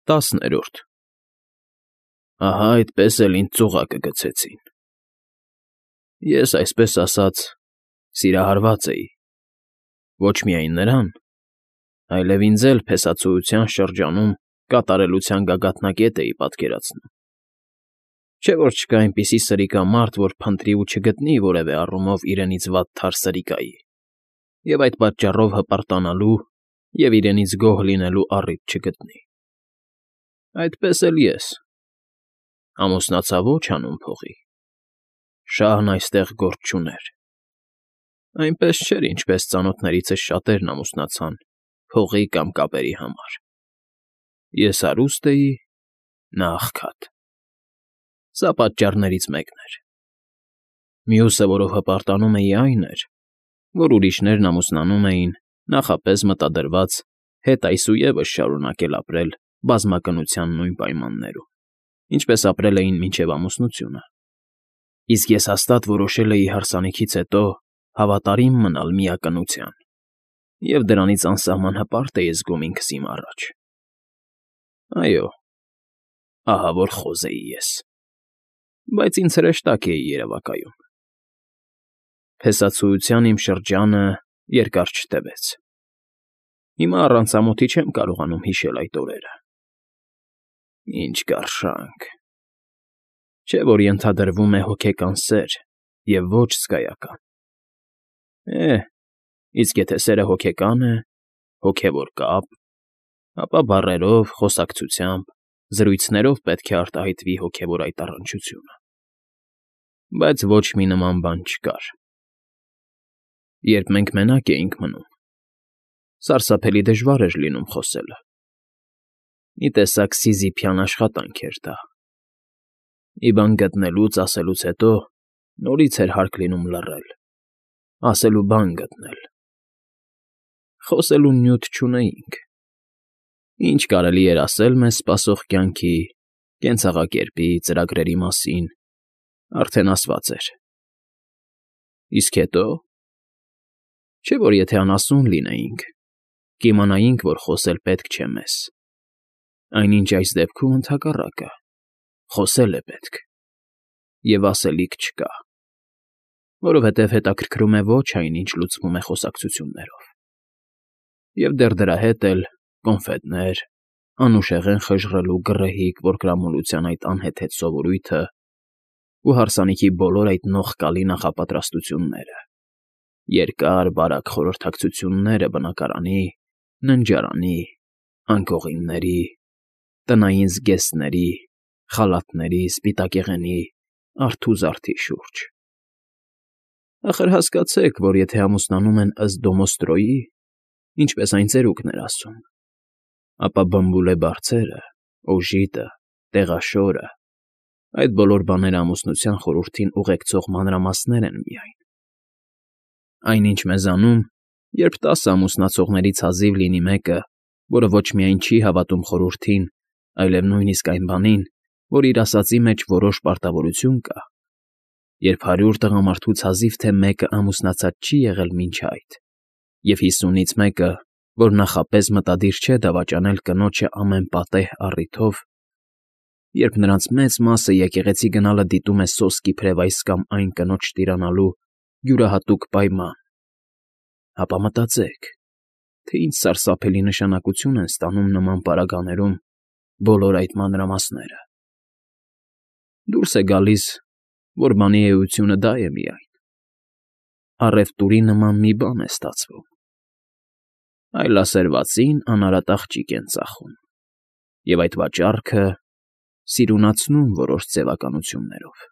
10-րդ Ահա այդպես էլ ինձ ծուղակը գցեցին։ Ես, այսպես ասած, սիրահարված էի, ոչ միայն նրան, այլև ինձ էլ փեսացուության շրջանում կատարելության գագաթնակետ էի պատկերացնում։ Չէ՞ որ չկա այնպիսի սրիկամարդ, որ փնտրի ու չգտնի որևէ առումով իրենից վատ թար սրիկայի, և այդ պատճառով հպարտանալու և իրենից գոհ լինելու առիթ չգտնի։ Այդպես էլ ես ամուսնացա ոչ հանուն փողի, շահն այստեղ գործ չուներ, այնպես չէր, ինչպես ծանոթներիցս շատերն ամուսնացան փողի կամ կապերի համար։ Ես հարուստ էի, նա աղքատ։ Սա պատճառներից մեկն էր։ Մյուսը, որով հպարտանում էի, այն էր, որ ուրիշներն ամուսնանում էին նախապես մտադրված հետ այսուևս շարունակել ապրել բազմակնության նույն պայմաններում, ինչպես ապրել էին մինչև ամուսնությունը, իսկ ես հաստատ որոշել էի հարսանիքից հետո հավատարիմ մնալ միակնության և դրանից անսահման հպարտ էի զգում ինքս իմ առաջ։ Այո, ահա որ խոզ էի ես, բայց ինձ հրեշտակ էի երևակայում։ Փեսացուության իմ շրջանը երկար չտևեց։ Հիմա առանց ամոթի չեմ կարողանում հիշել այդ օրերը։ Ինչ կարշանք… Չէ՞ որ ենթադրվում է հոգեկան սեր և ոչ զգայական։ Իսկ եթե սերը հոգեկան է, հոգևոր կապ, ապա բառերով, խոսակցությամբ, զրույցներով պետք է արտահայտվի հոգևոր այդ առնչությունը։ Բայց ոչ մի նման բան չկար։ Երբ մենք մենակ էինք մնում, սարսափելի դժվար էր լինում խոսելը։ Մի տեսակ սիզիֆյան աշխատանք էր դա։ Մի բան գտնելուց, ասելուց հետո նորից էր հարկ լինում լռել, ասելու բան գտնել։ Խոսելու նյութ չունեինք։ Ինչ կարելի էր ասել մեզ սպասող կյանքի, կենցաղակերպի, ծրագրերի մասին, արդեն ասված էր։ Իսկ հետո… Չէ՞ որ եթե անասուն լինեինք, կիմանայինք, որ խոսել պետք չէ մեզ, այնինչ այս դեպքում ընդհակառակը, խոսել է պետք, և ասելիք չկա, որովհետև հետաքրքրում է ոչ այն, ինչ լուծվում է խոսակցություններով։ Եվ դեռ դրա հետ էլ կոնֆետներ, անուշեղեն խժռելու գռեհիկ որկրամոլության այդ անհեթեթ սովորույթը ու հարսանիքի բոլոր այդ նողկալի նախապատրաստությունները, երկար, բարակ խորհրդակցությունները բնակարանի, ննջարանի, անկողինների, տնային զգեստների, խալաթների, սպիտակեղենի, արթու զարդի շուրջ։ Ախր հասկացեք, որ եթե ամուսնանում են ըստ Դոմոստրոյի, ինչպես այն ծերուկն էր ասում, ապա բմբուլե֊բարձերը, օժիտը, տեղաշորը, այդ բոլոր բաները ամուսնության խորհրդին ուղեկցող մանրամասներ են միայն։ Այնինչ մեզանում, երբ 10 ամուսնացողներից հազիվ լինի մեկը, որը ոչ միայն չի հավատում խորհրդին, այլև նույնիսկ այն բանին, որ իր ասածի մեջ որոշ պարտավորություն կա, երբ 100 տղամարդուց հազիվ թե մեկը ամուսնացած չի եղել մինչ այդ, և 50-ից մեկը, որ նախապես մտադիր չէ դավաճանել կնոջը ամեն պատեհ առիթով, երբ նրանց մեծ մասը եկեղեցի գնալը դիտում է սոսկ իբրև այս կամ այն կնոջ տիրանալու յուրահատուկ պայման, ապա մտածեք, թե ինչ սարսափելի նշանակություն են ստանում նման պարագաներում բոլոր այդ մանրամասները։ Դուրս է գալիս, որ բանի էությունը դա է միայն. առևտուրի նման մի բան է ստացվում, այլասերվածին անարատ աղջիկ են ծախում, և այդ վաճառքը սիրունացնում որոշ ձևականություններով։